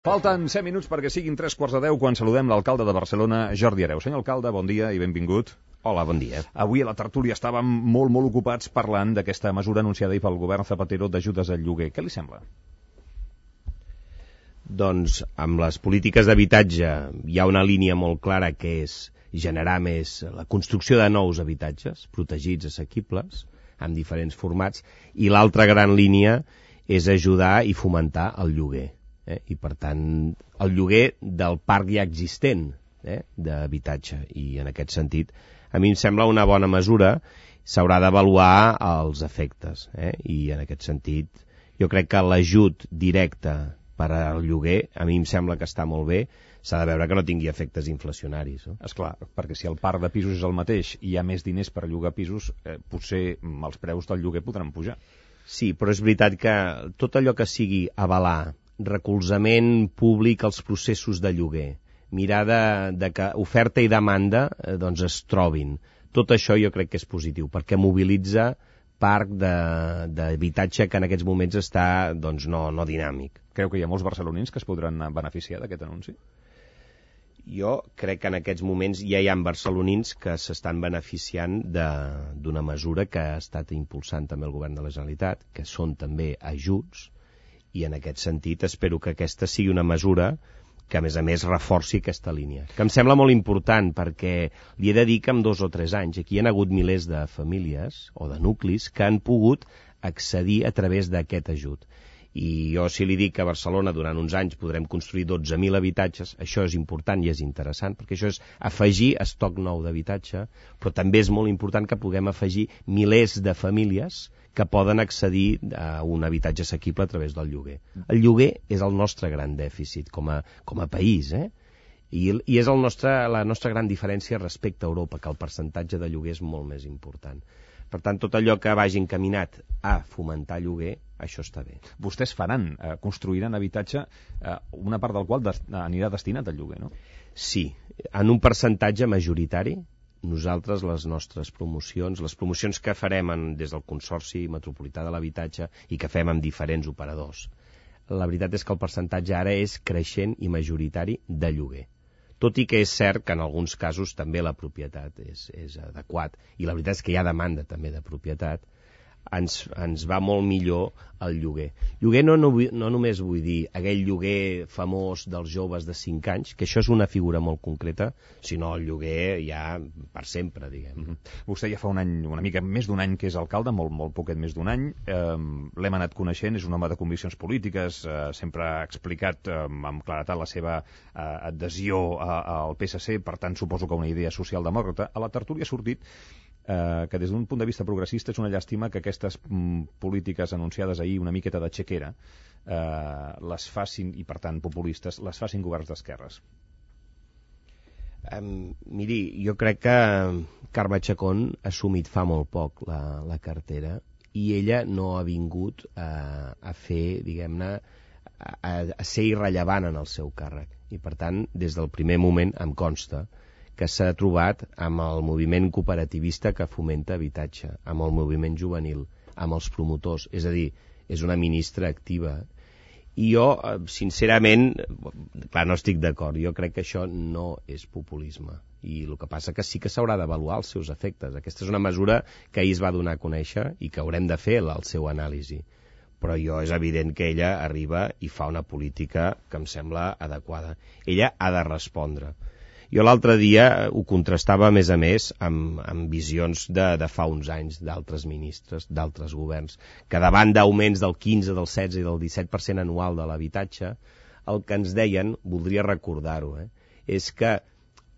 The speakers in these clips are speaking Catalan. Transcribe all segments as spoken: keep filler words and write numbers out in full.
Falten set minuts perquè siguin tres quarts de deu quan saludem l'alcalde de Barcelona, Jordi Hereu. Senyor alcalde, bon dia i benvingut. Hola, bon dia. Avui a la tertúlia estàvem molt, molt ocupats parlant d'aquesta mesura anunciada ahir pel govern Zapatero d'ajudes al lloguer. Què li sembla? Doncs amb les polítiques d'habitatge hi ha una línia molt clara que és generar més la construcció de nous habitatges protegits, assequibles, amb diferents formats, i l'altra gran línia és ajudar i fomentar el lloguer. Eh? I per tant el lloguer del parc ja existent eh? d'habitatge, i en aquest sentit a mi em sembla una bona mesura. S'haurà d'avaluar els efectes eh? i en aquest sentit jo crec que l'ajut directe per al lloguer a mi em sembla que està molt bé. S'ha de veure que no tingui efectes inflacionaris, no? Esclar, perquè si el parc de pisos és el mateix i hi ha més diners per llogar pisos, eh, potser els preus del lloguer podran pujar. Sí, però és veritat que tot allò que sigui avalar recolzament públic als processos de lloguer, mirar de, de que oferta i demanda eh, doncs es trobin. Tot això jo crec que és positiu, perquè mobilitza parc d'habitatge que en aquests moments està doncs, no, no dinàmic. Creu que hi ha molts barcelonins que es podran beneficiar d'aquest anunci? Jo crec que en aquests moments ja hi ha barcelonins que s'estan beneficiant d'una mesura que ha estat impulsant també el govern de la Generalitat, que són també ajuts, i en aquest sentit espero que aquesta sigui una mesura que a més a més reforci aquesta línia, que em sembla molt important, perquè li he de dir que en dos o tres anys aquí hi ha hagut milers de famílies o de nuclis que han pogut accedir a través d'aquest ajut. I jo si li dic que a Barcelona durant uns anys podrem construir dotze mil habitatges, això és important i és interessant, perquè això és afegir estoc nou d'habitatge, però també és molt important que puguem afegir milers de famílies que poden accedir a un habitatge assequible a través del lloguer. El lloguer és el nostre gran dèficit com a, com a país, eh? I, i és el nostre, la nostra gran diferència respecte a Europa, que el percentatge de lloguer és molt més important. Per tant, tot allò que vagi encaminat a fomentar lloguer, això està bé. Vostès faran, eh, construiran habitatge, eh, una part del qual des, anirà destinat al lloguer, no? Sí, en un percentatge majoritari. Nosaltres, les nostres promocions, les promocions que farem en, des del Consorci Metropolità de l'Habitatge i que fem amb diferents operadors, la veritat és que el percentatge ara és creixent i majoritari de lloguer. Tot i que és cert que en alguns casos també la propietat és, és adequat, i la veritat és que hi ha demanda també de propietat, ens, ens va molt millor el lloguer. Lloguer no, no, no només vull dir aquell lloguer famós dels joves de cinc anys, que això és una figura molt concreta, sinó el lloguer ja per sempre, diguem. Mm-hmm. Vostè ja fa un any, una mica més d'un any que és alcalde, molt, molt poquet més d'un any, eh, l'hem anat coneixent, és un home de conviccions polítiques, eh, sempre ha explicat eh, amb claretat la seva eh, adhesió a, al P S C, per tant suposo que una idea socialdemòcrata. A la tertúlia ha sortit Eh, que des d'un punt de vista progressista és una llàstima que aquestes mm, polítiques anunciades ahir una miqueta de xequera eh, les facin, i per tant populistes, les facin governs d'esquerres. Um, miri, jo crec que Carme Chacón ha assumit fa molt poc la, la cartera, i ella no ha vingut a, a fer, diguem-ne, a, a ser irrellevant en el seu càrrec. I per tant, des del primer moment em consta que s'ha trobat amb el moviment cooperativista que fomenta habitatge, amb el moviment juvenil, amb els promotors, és a dir, és una ministra activa. I jo, sincerament, clar, no estic d'acord, jo crec que això no és populisme, i el que passa que sí que s'haurà d'avaluar els seus efectes. Aquesta és una mesura que ahir es va donar a conèixer i que haurem de fer el seu anàlisi, però jo és evident que ella arriba i fa una política que em sembla adequada. Ella ha de respondre. Jo l'altre dia ho contrastava, a més a més, amb, amb visions de, de fa uns anys d'altres ministres, d'altres governs, que davant d'augments del quinze, del setze i del disset per cent anual de l'habitatge, el que ens deien, voldria recordar-ho, eh, és que,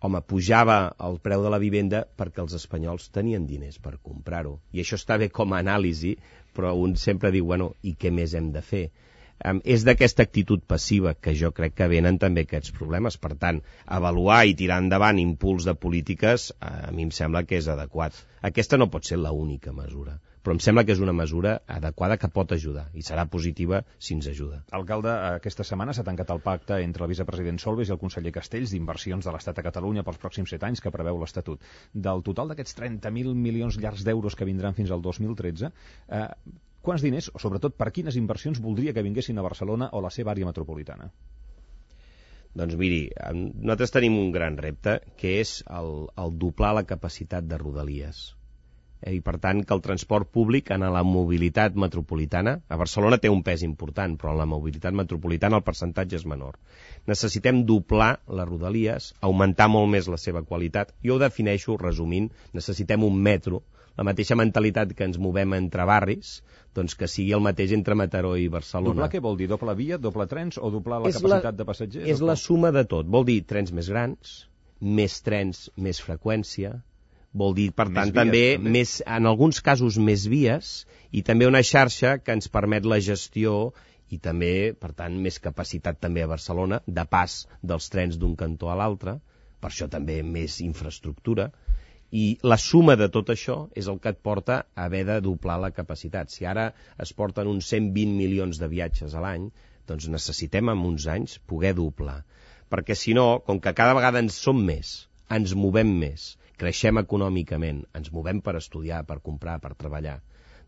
home, pujava el preu de la vivenda perquè els espanyols tenien diners per comprar-ho. I això està bé com a anàlisi, però un sempre diu, bueno, i què més hem de fer? Um, és d'aquesta actitud passiva que jo crec que venen també aquests problemes. Per tant, avaluar i tirar endavant impuls de polítiques a mi em sembla que és adequat. Aquesta no pot ser l'única mesura, però em sembla que és una mesura adequada que pot ajudar, i serà positiva si ens ajuda. Alcalde, aquesta setmana s'ha tancat el pacte entre el vicepresident Solbes i el conseller Castells d'inversions de l'Estat a Catalunya pels pròxims set anys que preveu l'Estatut. Del total d'aquests trenta mil milions llargs d'euros que vindran fins al dos mil tretze, eh, quants diners, o sobretot per quines inversions voldria que vinguessin a Barcelona o la seva àrea metropolitana? Doncs miri, nosaltres tenim un gran repte, que és el, el doblar la capacitat de Rodalies. I per tant que el transport públic en la mobilitat metropolitana, a Barcelona té un pes important, però en la mobilitat metropolitana el percentatge és menor. Necessitem doblar les Rodalies, augmentar molt més la seva qualitat. Jo ho defineixo, resumint, necessitem un metro, la mateixa mentalitat que ens movem entre barris, doncs que sigui el mateix entre Mataró i Barcelona. Doblar què vol dir? Doble via, doble trens o doblar la és capacitat la, de passatgers? És la suma de tot. Vol dir trens més grans, més trens, més freqüència, vol dir, per tant, vies, també, també. Més, en alguns casos més vies i també una xarxa que ens permet la gestió i també, per tant, més capacitat també a Barcelona, de pas dels trens d'un cantó a l'altre, per això també més infraestructura, i la suma de tot això és el que et porta a haver de doblar la capacitat. Si ara es porten uns cent vint milions de viatges a l'any, doncs necessitem en uns anys poder doblar. Perquè si no, com que cada vegada ens som més, ens movem més, creixem econòmicament, ens movem per estudiar, per comprar, per treballar,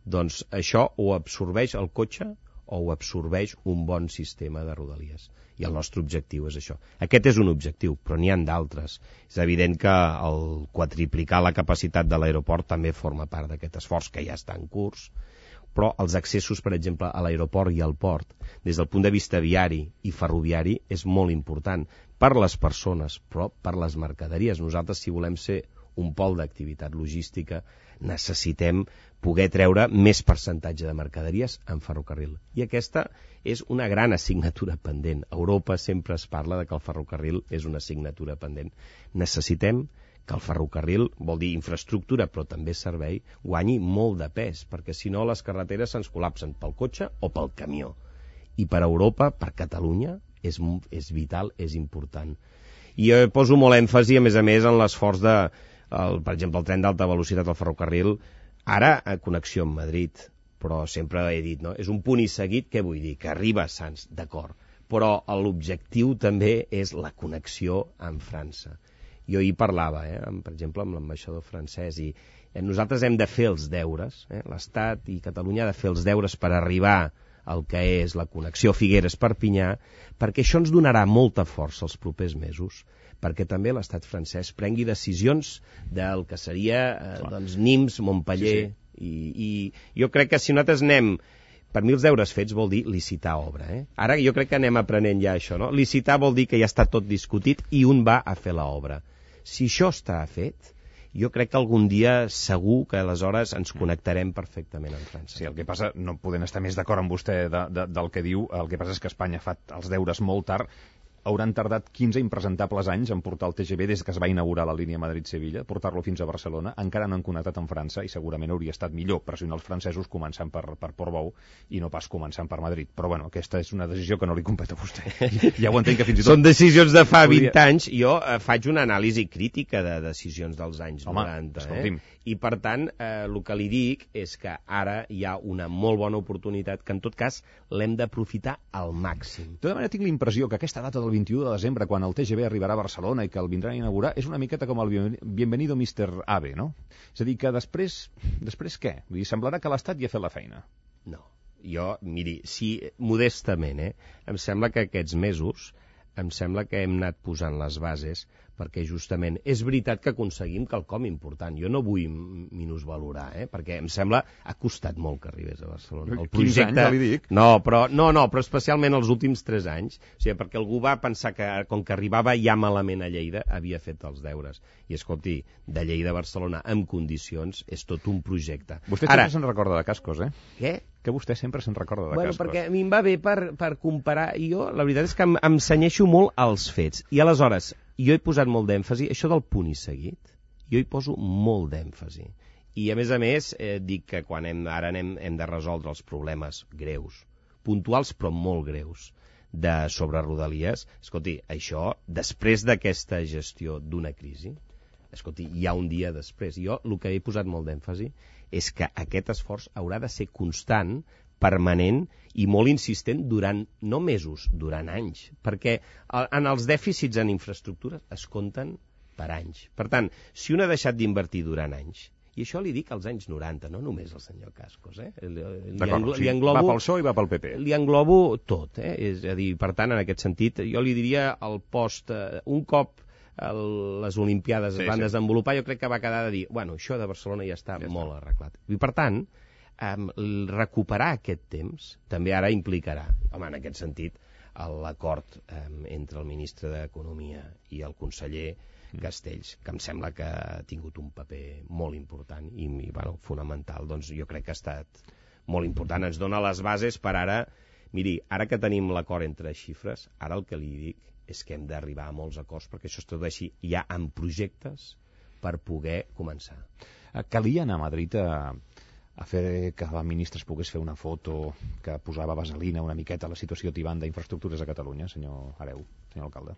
doncs això ho absorbeix el cotxe o ho absorbeix un bon sistema de Rodalies. I el nostre objectiu és això. Aquest és un objectiu, però n'hi ha d'altres. És evident que el quadriplicar la capacitat de l'aeroport també forma part d'aquest esforç que ja està en curs, però els accessos, per exemple, a l'aeroport i al port, des del punt de vista viari i ferroviari, és molt important per les persones, però per les mercaderies. Nosaltres, si volem ser un pol d'activitat logística, necessitem poder treure més percentatge de mercaderies en ferrocarril. I aquesta és una gran assignatura pendent. A Europa sempre es parla de que el ferrocarril és una assignatura pendent. Necessitem que el ferrocarril, vol dir infraestructura, però també servei, guanyi molt de pes, perquè si no les carreteres se'ns col·lapsen pel cotxe o pel camió. I per Europa, per Catalunya, és, és vital, és important. I jo poso molt èmfasi, a més a més, en l'esforç de, el, per exemple, el tren d'alta velocitat al ferrocarril, ara a connexió amb Madrid, però sempre he dit, no? És un punt i seguit, què vull dir? Que arriba a Sants, d'acord, però l'objectiu també és la connexió amb França. Jo hi parlava, eh, amb, per exemple, amb l'ambaixador francès, i eh, nosaltres hem de fer els deures, eh, l'Estat i Catalunya ha de fer els deures per arribar al que és la connexió Figueres-Perpinyà, perquè això ens donarà molta força els propers mesos, perquè també l'estat francès prengui decisions del que seria eh, doncs, Nimes, Montpellier, sí, sí. I, i jo crec que si nosaltres anem, per mi els deures fets vol dir licitar obra. Eh? Ara jo crec que anem aprenent ja això, no? Licitar vol dir que ja està tot discutit i un va a fer l'obra. Si això està fet, jo crec que algun dia segur que aleshores ens connectarem perfectament amb França. Sí, el que passa, no podem estar més d'acord amb vostè de, de, del que diu, el que passa és que Espanya fa els deures molt tard. Hauran tardat quinze impresentables anys en portar el T G V des que es va inaugurar la línia Madrid-Sevilla, portar-lo fins a Barcelona, encara no han connectat amb França i segurament hauria estat millor pressionar els francesos començant per, per Portbou i no pas començant per Madrid. Però bueno, aquesta és una decisió que no li competa a vostè. Ja ho entenc que fins i tot... Són decisions de fa vint anys. Jo eh, faig una anàlisi crítica de decisions dels anys Home, noranta. Escolti'm. Eh? I per tant, eh, el que li dic és que ara hi ha una molt bona oportunitat que en tot cas l'hem d'aprofitar al màxim. De tota manera tinc la impressió que aquesta data del vint-i-u de desembre, quan el T G V arribarà a Barcelona i que el vindran a inaugurar, és una miqueta com el Bienvenido mister Ave, no? És a dir, que després, després què? Vull dir, semblarà que l'Estat ja ha fet la feina. No, jo, miri, si modestament, eh, em sembla que aquests mesos, em sembla que hem anat posant les bases perquè justament és veritat que aconseguim quelcom important. Jo no vull minusvalorar, eh? Perquè em sembla ha costat molt que arribés a Barcelona. El projecte... quinze anys, ja li dic. No, però, no, no, però especialment els últims tres anys, o sigui, perquè algú va pensar que com que arribava ja malament a Lleida havia fet els deures. I escolti, de Lleida a Barcelona en condicions és tot un projecte. Vostè Ara, sempre se'n recorda de Cascos, eh? Què? Que vostè sempre se'n recorda de bueno, Cascos. Perquè a mi em va bé per, per comparar. I jo, la veritat és que em, em cenyeixo molt als fets. I aleshores, jo he posat molt d'èmfasi, això del punt i seguit, jo hi poso molt d'èmfasi. I a més a més, eh, dic que quan hem, ara anem, hem de resoldre els problemes greus, puntuals però molt greus, de sobre Rodalies, escolti, això, després d'aquesta gestió d'una crisi, escolti, hi ha un dia després. Jo el que he posat molt d'èmfasi és que aquest esforç haurà de ser constant, permanent i molt insistent durant, no mesos, durant anys, perquè en els dèficits en infraestructures es compten per anys. Per tant, si un ha deixat d'invertir durant anys I això li dic als anys noranta, no només al senyor Cascos. Eh? Li, D'acord, li sí, englobo, va pel P S O E i va pel P P. Li englobo tot. Eh? És a dir, per tant, en aquest sentit, jo li diria el post... Eh, un cop el, les Olimpiades sí, es van sí. desenvolupar, jo crec que va quedar de dir, bueno, això de Barcelona ja està ja molt està. arreglat. I per tant, eh, recuperar aquest temps també ara implicarà, home, en aquest sentit, l'acord eh, entre el ministre d'Economia i el conseller Castells, que em sembla que ha tingut un paper molt important i, i bueno, fonamental, doncs jo crec que ha estat molt important. Ens dona les bases per ara, miri, ara que tenim l'acord entre xifres, ara el que li dic és que hem d'arribar a molts acords perquè això es tradueixi ja en projectes per poder començar. Calia anar a Madrid a, a fer que la ministra es pogués fer una foto que posava vaselina una miqueta a la situació tibant d'infraestructures a Catalunya, senyor Hereu, senyor alcalde?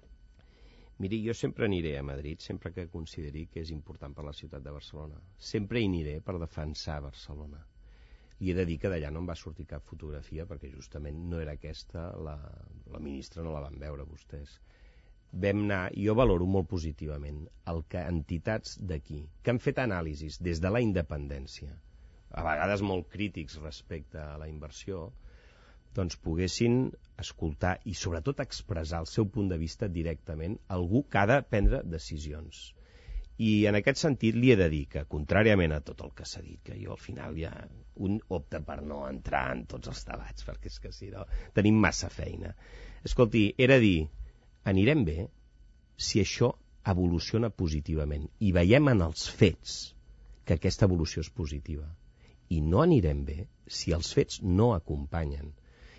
Miri, jo sempre aniré a Madrid, sempre que consideri que és important per la ciutat de Barcelona. Sempre hi aniré per defensar Barcelona. Li he de dir que d'allà no em va sortir cap fotografia, perquè justament no era aquesta, la, la ministra no la van veure vostès. Vam anar, jo valoro molt positivament, el que entitats d'aquí, que han fet anàlisis des de la independència, a vegades molt crítics respecte a la inversió, doncs poguessin escoltar i sobretot expressar el seu punt de vista directament a algú que ha de prendre decisions. I en aquest sentit li he de dir que, contràriament a tot el que s'ha dit, que jo al final ja un opta per no entrar en tots els debats, perquè és que si no tenim massa feina. Escolti, era dir, anirem bé si això evoluciona positivament i veiem en els fets que aquesta evolució és positiva. I no anirem bé si els fets no acompanyen.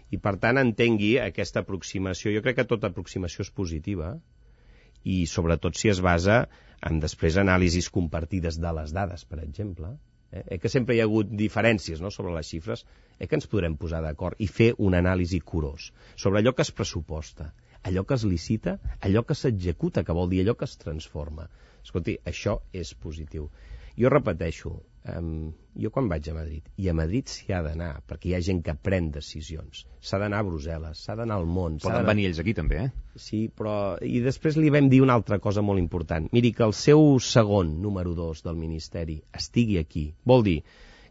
I per tant entengui aquesta aproximació. Jo crec que tota aproximació és positiva i sobretot si es basa en després anàlisis compartides de les dades, per exemple. Eh, eh que sempre hi ha hagut diferències, no?, sobre les xifres, eh que ens podrem posar d'acord i fer un anàlisi curós sobre allò que es pressuposta, allò que es licita, allò que s'executa, que vol dir allò que es transforma. Escolti, això és positiu. Jo repeteixo, um, jo quan vaig a Madrid, i a Madrid s'hi ha d'anar, perquè hi ha gent que pren decisions, s'ha d'anar a Brussel·les, s'ha d'anar al món... Poden venir ells aquí també, eh? Sí, però... I després li vam dir una altra cosa molt important. Miri, que el seu segon, número dos del Ministeri, estigui aquí. Vol dir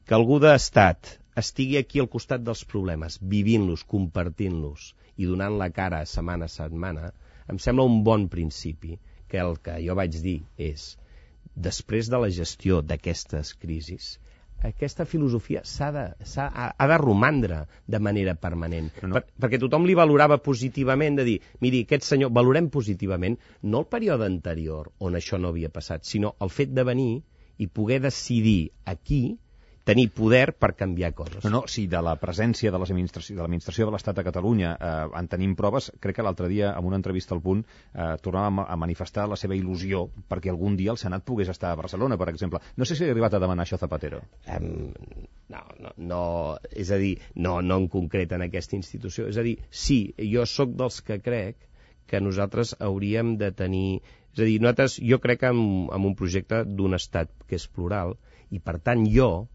que algú d'estat estigui aquí al costat dels problemes, vivint-los, compartint-los i donant la cara setmana a setmana, em sembla un bon principi, que el que jo vaig dir és... després de la gestió d'aquestes crisis, aquesta filosofia s'ha de, s'ha, ha de romandre de manera permanent. No, no. Per, perquè tothom li valorava positivament, de dir, miri, aquest senyor, valorem positivament no el període anterior on això no havia passat, sinó el fet de venir i poder decidir aquí, tenir poder per canviar coses. No, no, si de la presència de l'administració de l'administració de l'Estat a Catalunya eh, en tenim proves, crec que l'altre dia, en una entrevista al Punt, eh, tornava a manifestar la seva il·lusió perquè algun dia el Senat pogués estar a Barcelona, per exemple. No sé si ha arribat a demanar això Zapatero. Um, no, no, no, és a dir, no, no en concret en aquesta institució. És a dir, sí, jo sóc dels que crec que nosaltres hauríem de tenir... És a dir, nosaltres, jo crec en, en un projecte d'un estat que és plural i, per tant, jo,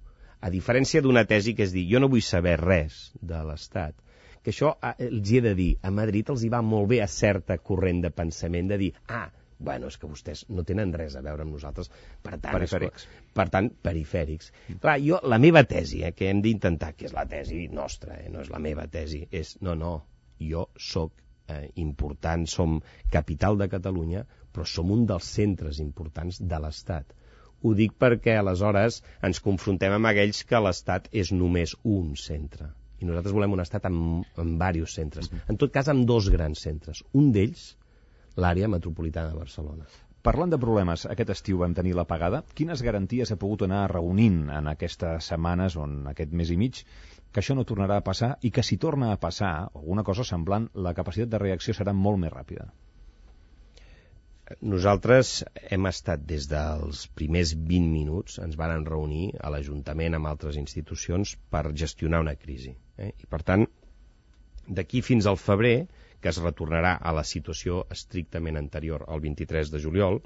a diferència d'una tesi que és dir, jo no vull saber res de l'Estat, que això els hi he de dir, a Madrid els hi va molt bé a certa corrent de pensament de dir, ah, bueno, és que vostès no tenen res a veure amb nosaltres, per tant, perifèrics. És, per tant perifèrics. Clar, jo, la meva tesi, eh, que hem d'intentar, que és la tesi nostra, eh, no és la meva tesi, és, no, no, jo sóc eh, important, som capital de Catalunya, però som un dels centres importants de l'Estat. Ho dic perquè aleshores ens confrontem amb aquells que l'Estat és només un centre. I nosaltres volem un Estat amb, amb diversos centres. En tot cas, amb dos grans centres. Un d'ells, l'àrea metropolitana de Barcelona. Parlant de problemes, aquest estiu vam tenir l'apagada. Quines garanties ha pogut anar reunint en aquestes setmanes o en aquest mes i mig que això no tornarà a passar i que si torna a passar alguna cosa semblant, la capacitat de reacció serà molt més ràpida? Nosaltres hem estat des dels primers vint minuts, ens van reunir a l'Ajuntament amb altres institucions per gestionar una crisi. Eh? I per tant, d'aquí fins al febrer, que es retornarà a la situació estrictament anterior al vint-i-tres de juliol,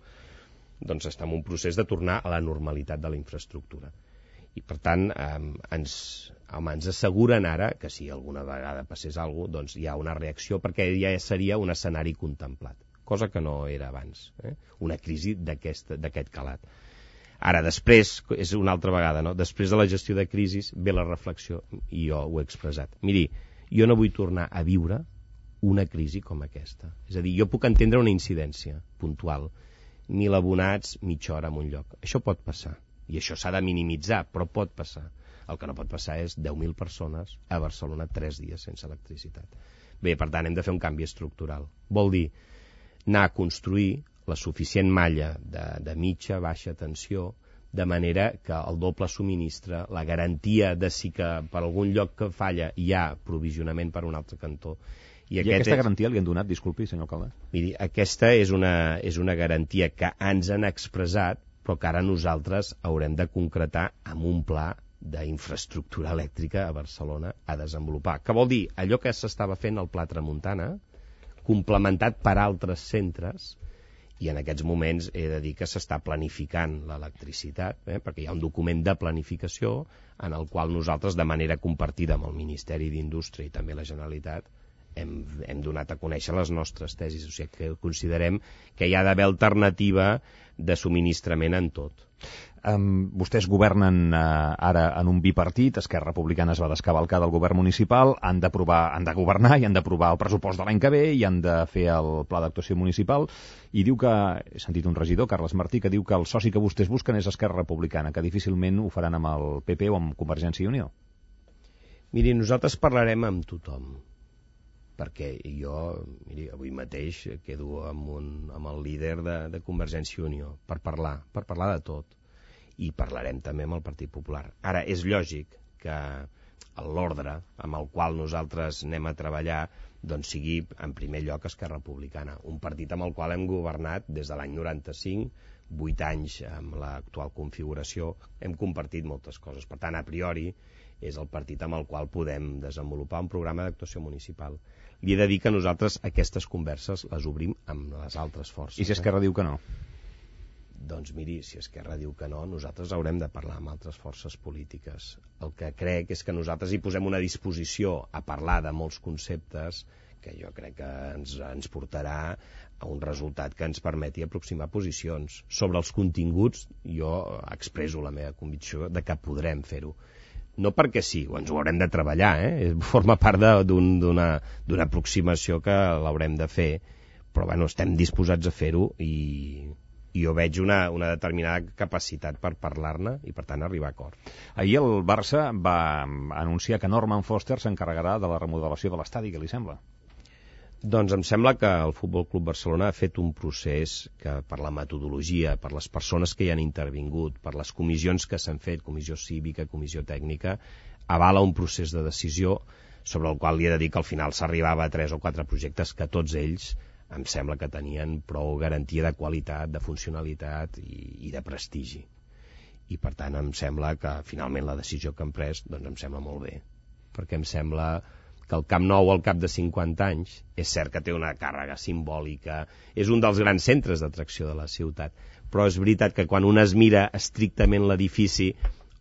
doncs estem en un procés de tornar a la normalitat de la infraestructura. I per tant, eh, ens, home, ens asseguren ara que si alguna vegada passés alguna cosa, doncs hi ha una reacció perquè ja seria un escenari contemplat, cosa que no era abans, eh? Una crisi d'aquest calat. Ara, després, és una altra vegada, no? Després de la gestió de crisis ve la reflexió, i jo ho he expressat. Miri, jo no vull tornar a viure una crisi com aquesta. És a dir, jo puc entendre una incidència puntual, mil abonats, mitja hora en un lloc. Això pot passar, i això s'ha de minimitzar, però pot passar. El que no pot passar és deu mil persones a Barcelona tres dies sense electricitat. Bé, per tant, hem de fer un canvi estructural. Vol dir anar a construir la suficient malla de, de mitja, baixa tensió, de manera que el doble subministre, la garantia de si que per algun lloc que falla hi ha provisionament per un altre cantó. I, I aquesta és... garantia li han donat, disculpi, senyor alcalde? Miri, aquesta és una, és una garantia que ens han expressat, però que ara nosaltres haurem de concretar amb un pla d'infraestructura elèctrica a Barcelona a desenvolupar. Que vol dir allò que s'estava fent al Pla Tramuntana, complementat per altres centres, i en aquests moments he de dir que s'està planificant l'electricitat, eh, perquè hi ha un document de planificació en el qual nosaltres, de manera compartida amb el Ministeri d'Indústria i també la Generalitat, hem, hem donat a conèixer les nostres tesis. O sigui que considerem que hi ha d'haver alternativa de subministrament en tot. Um, vostès governen uh, ara en un bipartit, Esquerra Republicana es va descavalcar del govern municipal, han d'aprovar, han de governar i han d'aprovar el pressupost de l'any que ve i han de fer el pla d'actuació municipal, i diu que, he sentit un regidor, Carles Martí, que diu que el soci que vostès busquen és Esquerra Republicana, que difícilment ho faran amb el P P o amb Convergència i Unió. Miri, nosaltres parlarem amb tothom, perquè jo, miri, avui mateix quedo amb, un, amb el líder de, de Convergència i Unió per parlar, per parlar de tot. I parlarem també amb el Partit Popular. Ara, és lògic que l'ordre amb el qual nosaltres anem a treballar doncs sigui, en primer lloc, Esquerra Republicana, un partit amb el qual hem governat des de l'any noranta-cinc, vuit anys amb l'actual configuració, hem compartit moltes coses. Per tant, a priori, és el partit amb el qual podem desenvolupar un programa d'actuació municipal. Li he de dir que nosaltres aquestes converses les obrim amb les altres forces. I si Esquerra eh? diu que no? Doncs miri, si Esquerra diu que no, nosaltres haurem de parlar amb altres forces polítiques. El que crec és que nosaltres hi posem una disposició a parlar de molts conceptes que jo crec que ens, ens portarà a un resultat que ens permeti aproximar posicions. Sobre els continguts, jo expresso la meva convicció de que podrem fer-ho. No perquè sí, ens ho haurem de treballar, eh? Forma part d'una d'una aproximació que l'haurem de fer, però bueno, estem disposats a fer-ho i... i jo veig una, una determinada capacitat per parlar-ne i, per tant, arribar a acord. Ahir el Barça va anunciar que Norman Foster s'encarregarà de la remodelació de l'estadi. Què li sembla? Doncs em sembla que el Futbol Club Barcelona ha fet un procés que, per la metodologia, per les persones que hi han intervingut, per les comissions que s'han fet, comissió cívica, comissió tècnica, avala un procés de decisió sobre el qual li he de dir que al final s'arribava a tres o quatre projectes que tots ells em sembla que tenien prou garantia de qualitat, de funcionalitat i, i de prestigi. I per tant em sembla que finalment la decisió que han pres doncs em sembla molt bé, perquè em sembla que el Camp Nou al cap de cinquanta anys és cert que té una càrrega simbòlica, és un dels grans centres d'atracció de la ciutat, però és veritat que quan un es mira estrictament l'edifici,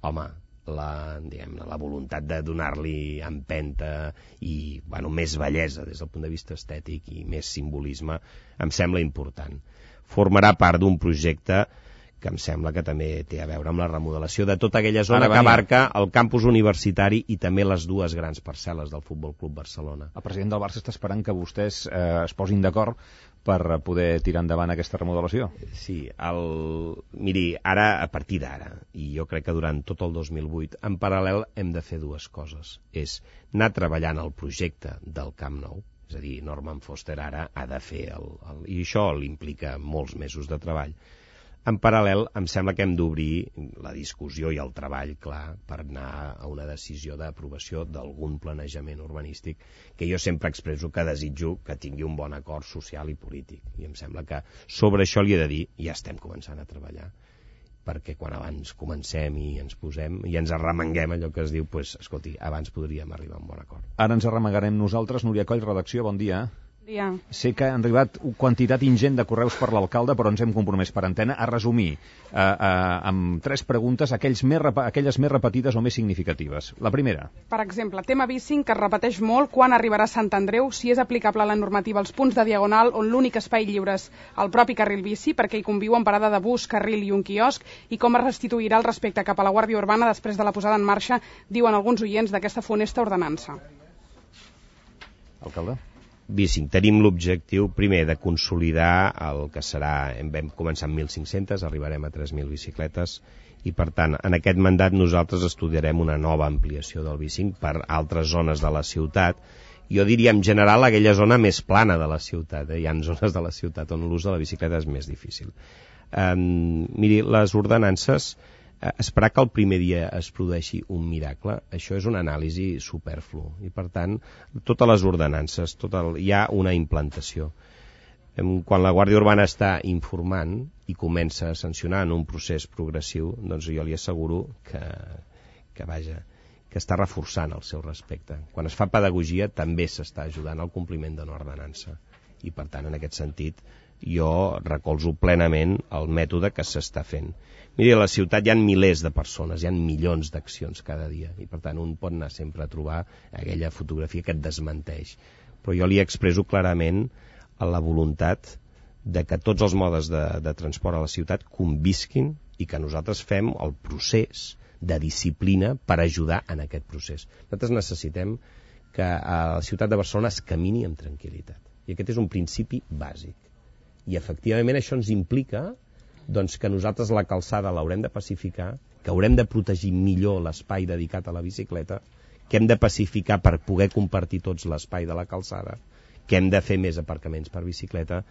home, la, diguem, la voluntat de donar-li empenta i bueno, més bellesa des del punt de vista estètic i més simbolisme em sembla important. Formarà part d'un projecte que em sembla que també té a veure amb la remodelació de tota aquella zona que abarca el campus universitari i també les dues grans parcel·les del Futbol Club Barcelona. El president del Barça està esperant que vostès eh, es posin d'acord per poder tirar endavant aquesta remodelació. Sí, el... miri, ara, a partir d'ara, i jo crec que durant tot el dos mil vuit, en paral·lel hem de fer dues coses. És anar treballant el projecte del Camp Nou, és a dir, Norman Foster ara ha de fer, el, el... i això l'implica molts mesos de treball. En paral·lel, em sembla que hem d'obrir la discussió i el treball, clar, per anar a una decisió d'aprovació d'algun planejament urbanístic que jo sempre expresso que desitjo que tingui un bon acord social i polític. I em sembla que sobre això li he de dir, ja estem començant a treballar, perquè quan abans comencem i ens posem i ens arremanguem allò que es diu, pues, escolti, abans podríem arribar a un bon acord. Ara ens arremangarem nosaltres. Núria Coll, redacció, bon dia. Ja. Sé que han arribat quantitat ingent de correus per l'alcalde, però ens hem compromès per antena a resumir eh, eh, amb tres preguntes aquells més, aquelles més repetides o més significatives. La primera. Per exemple, tema bici que es repeteix molt, quan arribarà a Sant Andreu, si és aplicable la normativa als punts de diagonal on l'únic espai lliure és el propi carril bici, perquè hi conviuen parada de bus, carril i un quiosc, i com es restituirà el respecte cap a la Guàrdia Urbana després de la posada en marxa, diuen alguns oients, d'aquesta funesta ordenança. Alcalde? Bicing, tenim l'objectiu, primer, de consolidar el que serà, vam començar amb mil cinc-centes, arribarem a tres mil bicicletes, i per tant, en aquest mandat nosaltres estudiarem una nova ampliació del bicing per altres zones de la ciutat. Jo diria, en general, aquella zona més plana de la ciutat. Eh? Hi ha zones de la ciutat on l'ús de la bicicleta és més difícil. Um, miri, les ordenances, eh, esperar que el primer dia es produeixi un miracle, això és una anàlisi superflu, i per tant, totes les ordenances, tot el, hi ha una implantació. Quan la Guàrdia Urbana està informant i comença a sancionar en un procés progressiu, doncs jo li asseguro que, que vaja, que està reforçant el seu respecte. Quan es fa pedagogia també s'està ajudant al compliment d'una ordenança, i per tant, en aquest sentit, jo recolzo plenament el mètode que s'està fent. Miri, a la ciutat hi ha milers de persones, hi ha milions d'accions cada dia, i per tant un pot anar sempre a trobar aquella fotografia que et desmenteix. Però jo li expresso clarament a la voluntat de que tots els modes de, de transport a la ciutat convisquin i que nosaltres fem el procés de disciplina per ajudar en aquest procés. Nosaltres necessitem que a la ciutat de Barcelona es camini amb tranquil·litat. I aquest és un principi bàsic. I efectivament això ens implica doncs, que nosaltres la calçada l'haurem de pacificar, que haurem de protegir millor l'espai dedicat a la bicicleta, que hem de pacificar per poder compartir tots l'espai de la calçada, que hem de fer més aparcaments per bicicleta,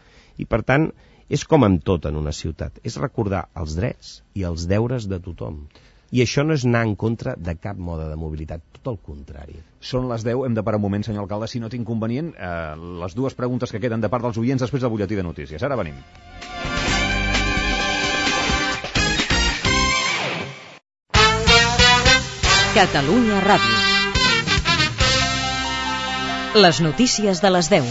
i per tant és com amb tot en una ciutat, és recordar els drets i els deures de tothom. I això no és anar en contra de cap mode de mobilitat, tot el contrari. Són les deu, hem de parar un moment, senyor alcalde, si no té inconvenient, eh, les dues preguntes que queden de part dels oients després del butlletí de notícies. Ara venim. Catalunya Ràdio. Les notícies de les deu.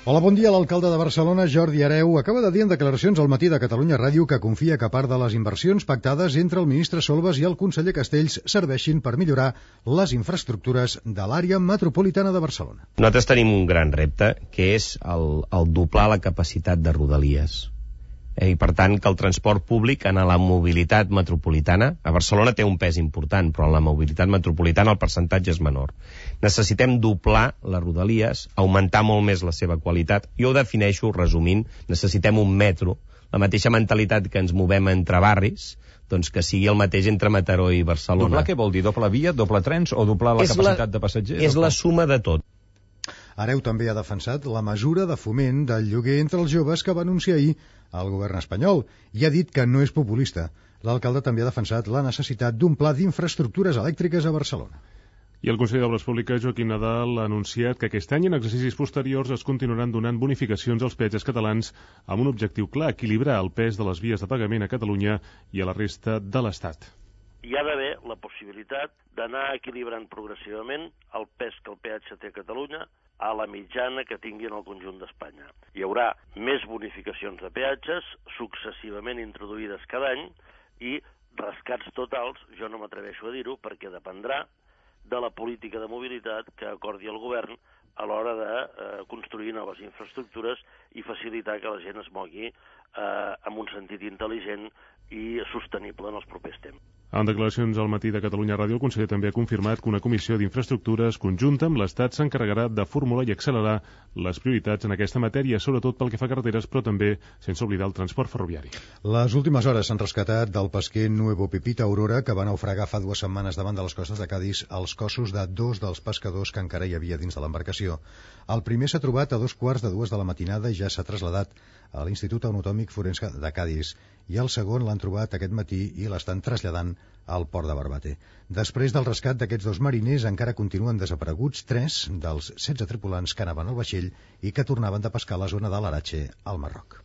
Hola, bon dia. L'alcalde de Barcelona, Jordi Hereu, acaba de dir en declaracions al matí de Catalunya Ràdio que confia que part de les inversions pactades entre el ministre Solbes i el conseller Castells serveixin per millorar les infraestructures de l'àrea metropolitana de Barcelona. Nosaltres tenim un gran repte, que és el, el doblar la capacitat de rodalies. I per tant que el transport públic en la mobilitat metropolitana, a Barcelona té un pes important, però en la mobilitat metropolitana el percentatge és menor. Necessitem doblar les rodalies, augmentar molt més la seva qualitat. Jo ho defineixo resumint, necessitem un metro, la mateixa mentalitat que ens movem entre barris, doncs que sigui el mateix entre Mataró i Barcelona. Doblar què vol dir? Doble via, doble trens o doblar la és capacitat la, de passatgers? És la suma de tot. Hereu també ha defensat la mesura de foment del lloguer entre els joves que va anunciar ahir el govern espanyol i ha dit que no és populista. L'alcalde també ha defensat la necessitat d'un pla d'infraestructures elèctriques a Barcelona. I el conseller d'Obres Públiques, Joaquim Nadal, ha anunciat que aquest any en exercicis posteriors es continuaran donant bonificacions als peatges catalans amb un objectiu clar, equilibrar el pes de les vies de pagament a Catalunya i a la resta de l'Estat. Hi ha d'haver la possibilitat d'anar equilibrant progressivament el pes que el peatge té a Catalunya a la mitjana que tingui en el conjunt d'Espanya. Hi haurà més bonificacions de peatges, successivament introduïdes cada any, i rescats totals, jo no m'atreveixo a dir-ho, perquè dependrà de la política de mobilitat que acordi el govern a l'hora de eh, construir noves infraestructures i facilitar que la gent es mogui eh, amb un sentit intel·ligent i sostenible en els propers temps. En declaracions al matí de Catalunya Ràdio, el conseller també ha confirmat que una comissió d'infraestructures conjunta amb l'Estat s'encarregarà de formular i accelerar les prioritats en aquesta matèria, sobretot pel que fa a carreteres, però també sense oblidar el transport ferroviari. Les últimes hores s'han rescatat del pesquer Nuevo Pepita Aurora, que va naufragar fa dues setmanes davant de les costes de Cadis els cossos de dos dels pescadors que encara hi havia dins de l'embarcació. El primer s'ha trobat a dos quarts de dues de la matinada i ja s'ha traslladat a l'Institut Anatòmic Forense de Cadis, i el segon l'han trobat aquest matí i l'estan traslladant al port de Barbate. Després del rescat d'aquests dos mariners encara continuen desapareguts tres dels setze tripulants que anaven al vaixell i que tornaven de pescar a la zona de l'Arache, al Marroc.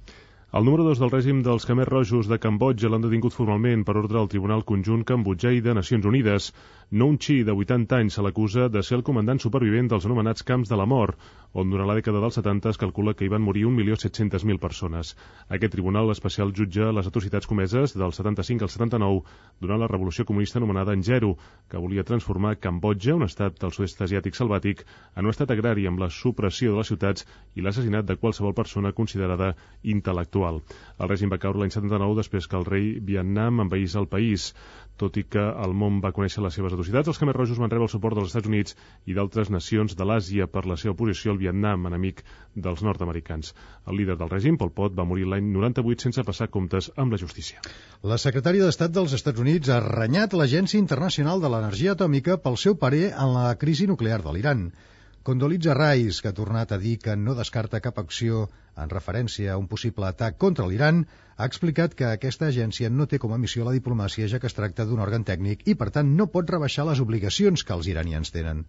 El número dos del règim dels Khmers Rojos de Cambodja l'han detingut formalment per ordre del Tribunal Conjunt Cambodjai de Nacions Unides. Noon Chi, de vuitanta anys, se l'acusa de ser el comandant supervivent dels anomenats camps de la mort, on durant la dècada dels setanta es calcula que hi van morir un milió set-cents mil persones. Aquest tribunal especial jutja les atrocitats comeses del setanta-cinc al setanta-nou durant la revolució comunista anomenada Engeru, que volia transformar Cambodja, un estat del sud-est asiàtic selvàtic, en un estat agrari amb la supressió de les ciutats i l'assassinat de qualsevol persona considerada intel·lectual. El règim va caure l'any setanta-nou després que el rei Vietnam envaís el país. Tot i que el món va conèixer les seves atrocitats, els Khmers Rojos van rebre el suport dels Estats Units i d'altres nacions de l'Àsia per la seva oposició al Vietnam, enemic dels nord-americans. El líder del règim, Pol Pot, va morir l'any noranta-vuit sense passar comptes amb la justícia. La secretària d'Estat dels Estats Units ha renyat l'Agència Internacional de l'Energia Atòmica pel seu parer en la crisi nuclear de l'Iran. Condoleezza Rice, que ha tornat a dir que no descarta cap acció en referència a un possible atac contra l'Iran, ha explicat que aquesta agència no té com a missió la diplomàcia, ja que es tracta d'un òrgan tècnic i, per tant, no pot rebaixar les obligacions que els iranians tenen.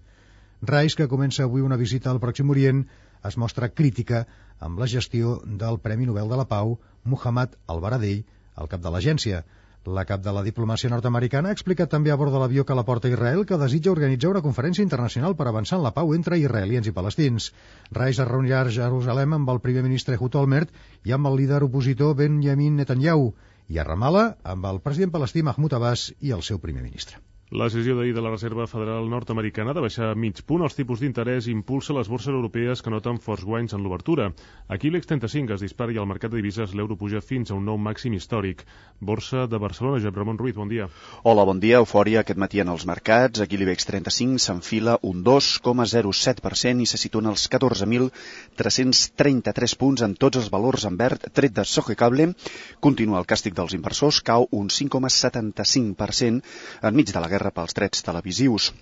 Rice, que comença avui una visita al Pròxim Orient, es mostra crítica amb la gestió del Premi Nobel de la Pau, Muhammad al-Baradei, el cap de l'agència. La cap de la diplomàcia nord-americana ha explicat també a bord de l'avió que la porta Israel que desitja organitzar una conferència internacional per avançar en la pau entre israelians i palestins. Rice es reunirà a Jerusalem amb el primer ministre Ehud Olmert i amb el líder opositor Benjamin Netanyahu, i a Ramallah amb el president palestí Mahmoud Abbas i el seu primer ministre. La decisió d'ahir de la Reserva Federal nord-americana de baixar mig punt els tipus d'interès impulsa les borses europees que noten forts guanys en l'obertura. Aquí l'I B E X trenta-cinc es dispara i al mercat de divises l'euro puja fins a un nou màxim històric. Borsa de Barcelona, Josep Ramon Ruiz, bon dia. Hola, bon dia. Eufòria aquest matí en els mercats. Aquí l'I B E X trenta-cinc s'enfila un dos coma zero set per cent i se situa en els catorze mil tres-cents trenta-tres punts en tots els valors en verd, tret de Sogecable. Continua el càstig dels inversors, cau un cinc coma setanta-cinc per cent enmig de la guerra pels drets televisius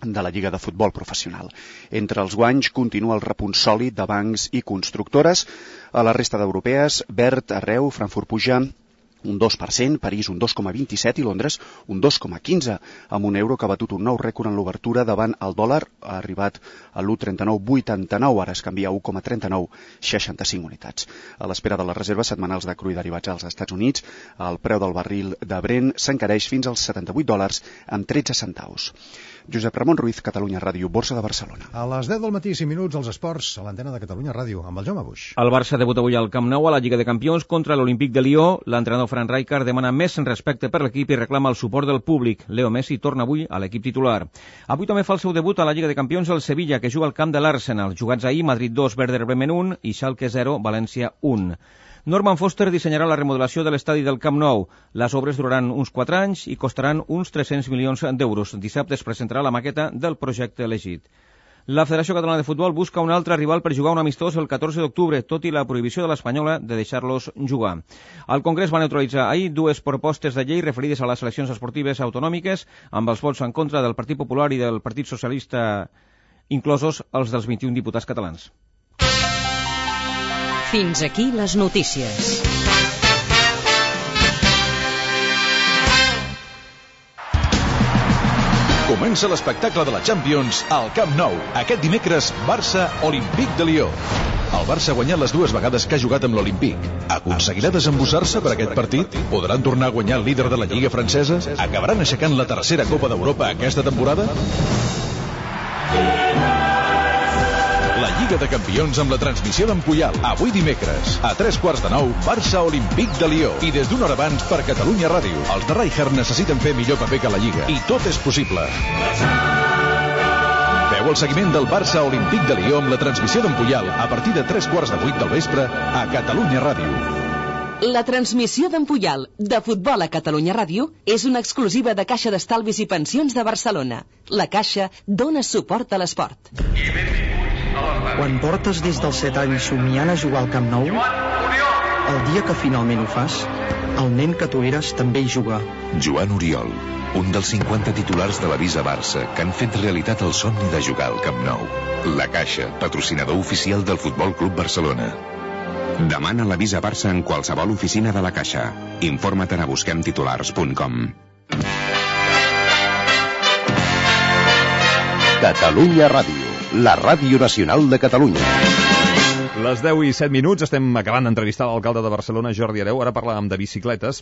de la Lliga de Futbol Professional. Entre els guanys continua el repunt sòlid de bancs i constructores. A la resta d'europees, verd arreu, Frankfurt puja un dos per cent, París un dos coma vint-i-set i Londres un dos coma quinze, amb un euro que ha batut un nou rècord en l'obertura davant el dòlar, ha arribat a l'u coma trenta-nou vuitanta-nou, ara es canvia a u coma trenta-nou seixanta-cinc unitats. A l'espera de les reserves setmanals de cru i derivats als Estats Units, el preu del barril de Brent s'encareix fins als setanta-vuit dòlars amb tretze centaus. Josep Ramon Ruiz, Catalunya Ràdio, Borsa de Barcelona. A les deu del matí, cinc minuts, els esports, a l'antena de Catalunya Ràdio, amb el Jaume Buix. El Barça debuta avui al Camp Nou a la Lliga de Campions contra l'Olímpic de Lió. L'entrenador Frank Rijkaard demana més respecte per l'equip i reclama el suport del públic. Leo Messi torna avui a l'equip titular. Avui també fa el seu debut a la Lliga de Campions el Sevilla, que juga al camp de l'Arsenal. Jugats ahir, Madrid dos, Werder Bremen un i Schalke zero, València un. Norman Foster dissenyarà la remodelació de l'estadi del Camp Nou. Les obres duraran uns quatre anys i costaran uns tres-cents milions d'euros. Dissabte es presentarà la maqueta del projecte elegit. La Federació Catalana de Futbol busca un altre rival per jugar un amistós el catorze d'octubre, tot i la prohibició de l'Espanyola de deixar-los jugar. El Congrés va neutralitzar ahir dues propostes de llei referides a les eleccions esportives autonòmiques, amb els vots en contra del Partit Popular i del Partit Socialista, inclosos els dels vint-i-un diputats catalans. Fins aquí les notícies. Comença l'espectacle de la Champions al Camp Nou. Aquest dimecres, Barça-Olímpic de Lió. El Barça ha guanyat les dues vegades que ha jugat amb l'Olímpic. Aconseguirà desembussar-se per aquest partit? Podran tornar a guanyar el líder de la Lliga francesa? Acabaran aixecant la tercera Copa d'Europa aquesta temporada? La Lliga de Campions amb la transmissió d'en Puyal. Avui dimecres, a tres quarts de nou, Barça-Olímpic de Lió. I des d'una hora abans per Catalunya Ràdio. Els de Rijkaard necessiten fer millor paper que la Lliga. I tot és possible. Veu el seguiment del Barça-Olímpic de Lió amb la transmissió d'en Puyal a partir de tres quarts de vuit del vespre a Catalunya Ràdio. La transmissió d'en Puyal de futbol a Catalunya Ràdio és una exclusiva de Caixa d'Estalvis i Pensions de Barcelona. La Caixa dona suport a l'esport. Quan portes des dels set anys somiant a jugar al Camp Nou, el dia que finalment ho fas, el nen que tu eres també hi juga. Joan Oriol, un dels cinquanta titulars de la Visa Barça que han fet realitat el somni de jugar al Camp Nou. La Caixa, patrocinador oficial del Futbol Club Barcelona. Demana la Visa Barça en qualsevol oficina de la Caixa. Informa't a busquem titulars punt com. Catalunya Ràdio, la ràdio nacional de Catalunya. Les deu i set minuts, estem acabant d'entrevistar l'alcalde de Barcelona, Jordi Hereu. Ara parlàvem de bicicletes.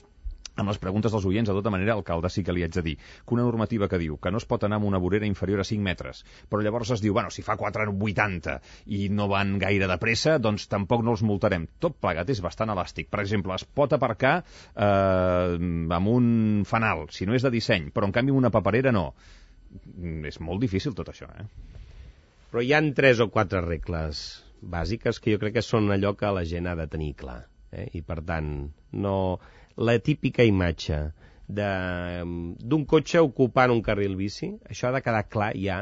Amb les preguntes dels oients, de tota manera, alcalde, sí que li haig de dir que una normativa que diu que no es pot anar amb una vorera inferior a cinc metres, però llavors es diu, bueno, si fa quatre coma vuitanta i no van gaire de pressa, doncs tampoc no els multarem. Tot plegat és bastant elàstic. Per exemple, es pot aparcar eh, amb un fanal, si no és de disseny, però en canvi amb una paperera no. És molt difícil tot això, eh? Però hi han tres o quatre regles bàsiques que jo crec que són allò que la gent ha de tenir clar. Eh? I, per tant, no... la típica imatge d'un cotxe ocupant un carril bici, això ha de quedar clar ja,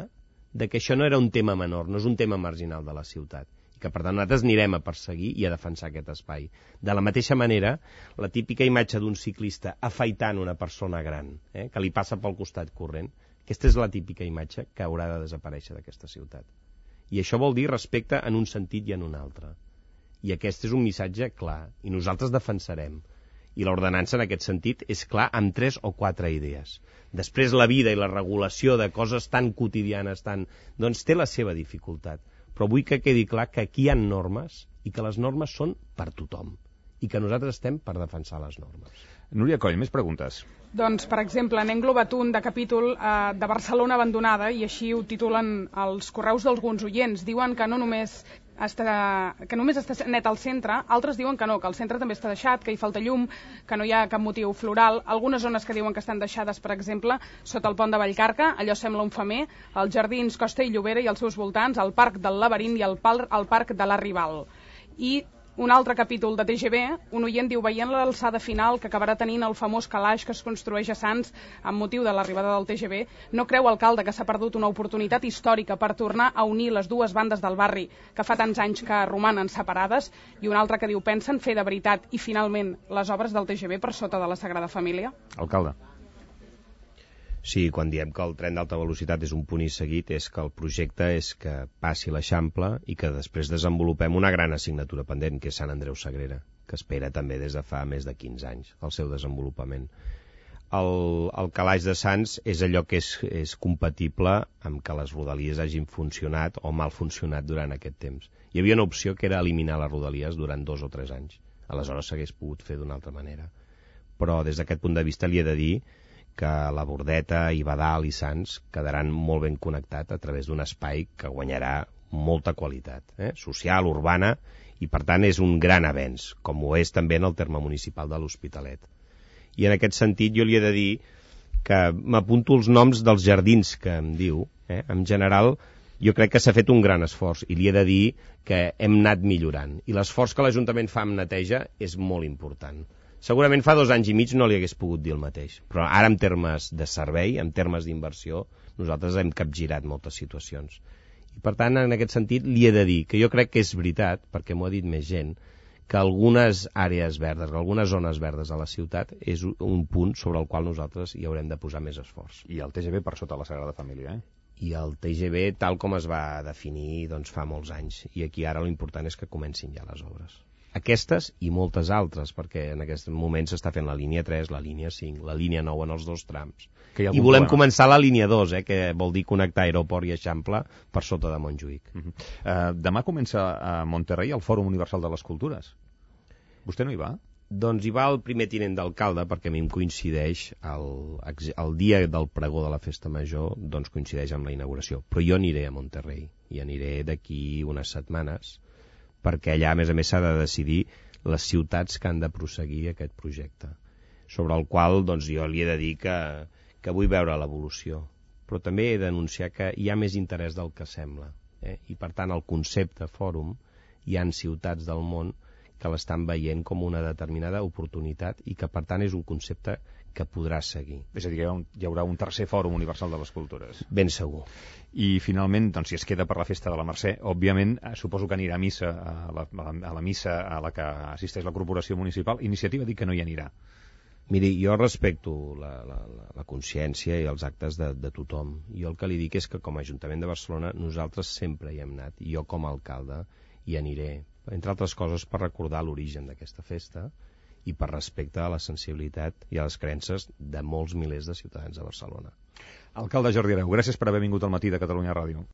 de que això no era un tema menor, no és un tema marginal de la ciutat. I que, per tant, nosaltres anirem a perseguir i a defensar aquest espai. De la mateixa manera, la típica imatge d'un ciclista afaitant una persona gran, eh, que li passa pel costat corrent, aquesta és la típica imatge que haurà de desaparèixer d'aquesta ciutat. I això vol dir respecte en un sentit i en un altre. I aquest és un missatge clar, i nosaltres defensarem. I l'ordenança, en aquest sentit, és clar amb tres o quatre idees. Després, la vida i la regulació de coses tan quotidianes, tan... doncs té la seva dificultat. Però vull que quedi clar que aquí hi ha normes i que les normes són per tothom i que nosaltres estem per defensar les normes. Núria Coll, més preguntes. Doncs, per exemple, n'he englobat un de capítol eh, de Barcelona abandonada, i així ho titulen els correus d'alguns oients. Diuen que no només està, que només està net al centre, altres diuen que no, que el centre també està deixat, que hi falta llum, que no hi ha cap motiu floral. Algunes zones que diuen que estan deixades, per exemple, sota el pont de Vallcarca, allò sembla un femer, els jardins Costa i Llobera i els seus voltants, el parc del Laberint i el, pal, el parc de la Rival. I un altre capítol de T G V, un oient diu, veient l'alçada final que acabarà tenint el famós calaix que es construeix a Sants amb motiu de l'arribada del T G V, no creu, alcalde, que s'ha perdut una oportunitat històrica per tornar a unir les dues bandes del barri que fa tants anys que romanen separades? I un altre que diu, pensen fer de veritat i finalment les obres del T G V per sota de la Sagrada Família? Alcalde. Sí, quan diem que el tren d'alta velocitat és un punt i seguit, és que el projecte és que passi l'Eixample i que després desenvolupem una gran assignatura pendent, que és Sant Andreu Sagrera, que espera també des de fa més de quinze anys el seu desenvolupament. El, el calaix de Sants és allò que és, és compatible amb que les rodalies hagin funcionat o mal funcionat durant aquest temps. Hi havia una opció que era eliminar les rodalies durant dos o tres anys. Aleshores s'hagués pogut fer d'una altra manera. Però des d'aquest punt de vista li he de dir que la Bordeta, i Badal i Sants quedaran molt ben connectats a través d'un espai que guanyarà molta qualitat, eh? social, urbana, i per tant és un gran avenç, com ho és també en el terme municipal de l'Hospitalet. I en aquest sentit jo li he de dir que m'apunto els noms dels jardins que em diu. Eh? En general, jo crec que s'ha fet un gran esforç i li he de dir que hem anat millorant. I l'esforç que l'Ajuntament fa amb neteja és molt important. Segurament fa dos anys i mig no li hagués pogut dir el mateix, però ara en termes de servei, en termes d'inversió, nosaltres hem capgirat moltes situacions. I per tant, en aquest sentit, li he de dir que jo crec que és veritat, perquè m'ho ha dit més gent, que algunes àrees verdes, algunes zones verdes a la ciutat és un punt sobre el qual nosaltres hi haurem de posar més esforç. I el T G V per sota la Sagrada Família, eh? I el T G V tal com es va definir doncs, fa molts anys. I aquí ara l'important és que comencin ja les obres. Aquestes i moltes altres, perquè en aquest moment s'està fent la línia tres, la línia cinc, la línia nou en els dos trams. I volem problema. començar la línia dos, eh, que vol dir connectar aeroport i Eixample per sota de Montjuïc. Uh -huh. uh, demà comença a Monterrey el Fòrum Universal de les Cultures. Vostè no hi va? Doncs hi va el primer tinent d'alcalde, perquè a mi em coincideix el, el dia del pregó de la Festa Major, doncs coincideix amb la inauguració. Però jo aniré a Monterrey, i aniré d'aquí unes setmanes, perquè allà, a més a més, s'ha de decidir les ciutats que han de prosseguir aquest projecte, sobre el qual doncs, jo li he de dir que, que vull veure l'evolució, però també he d'anunciar que hi ha més interès del que sembla, eh? I per tant el concepte fòrum, hi ha ciutats del món que l'estan veient com una determinada oportunitat i que per tant és un concepte que podrà seguir. És a dir, hi haurà un tercer Fòrum Universal de les Cultures. Ben segur. I finalment, doncs, si es queda per la festa de la Mercè, òbviament, suposo que anirà a missa, a la, a la missa a la que assisteix la Corporació Municipal. Iniciativa diu que no hi anirà. Miri, jo respecto la, la, la consciència i els actes de, de tothom. Jo el que li dic és que com a Ajuntament de Barcelona nosaltres sempre hi hem anat, i jo com a alcalde hi aniré, entre altres coses per recordar l'origen d'aquesta festa i per respecte a la sensibilitat i a les creences de molts milers de ciutadans de Barcelona. Alcalde Jordi Hereu, gràcies per haver vingut al matí de Catalunya Ràdio.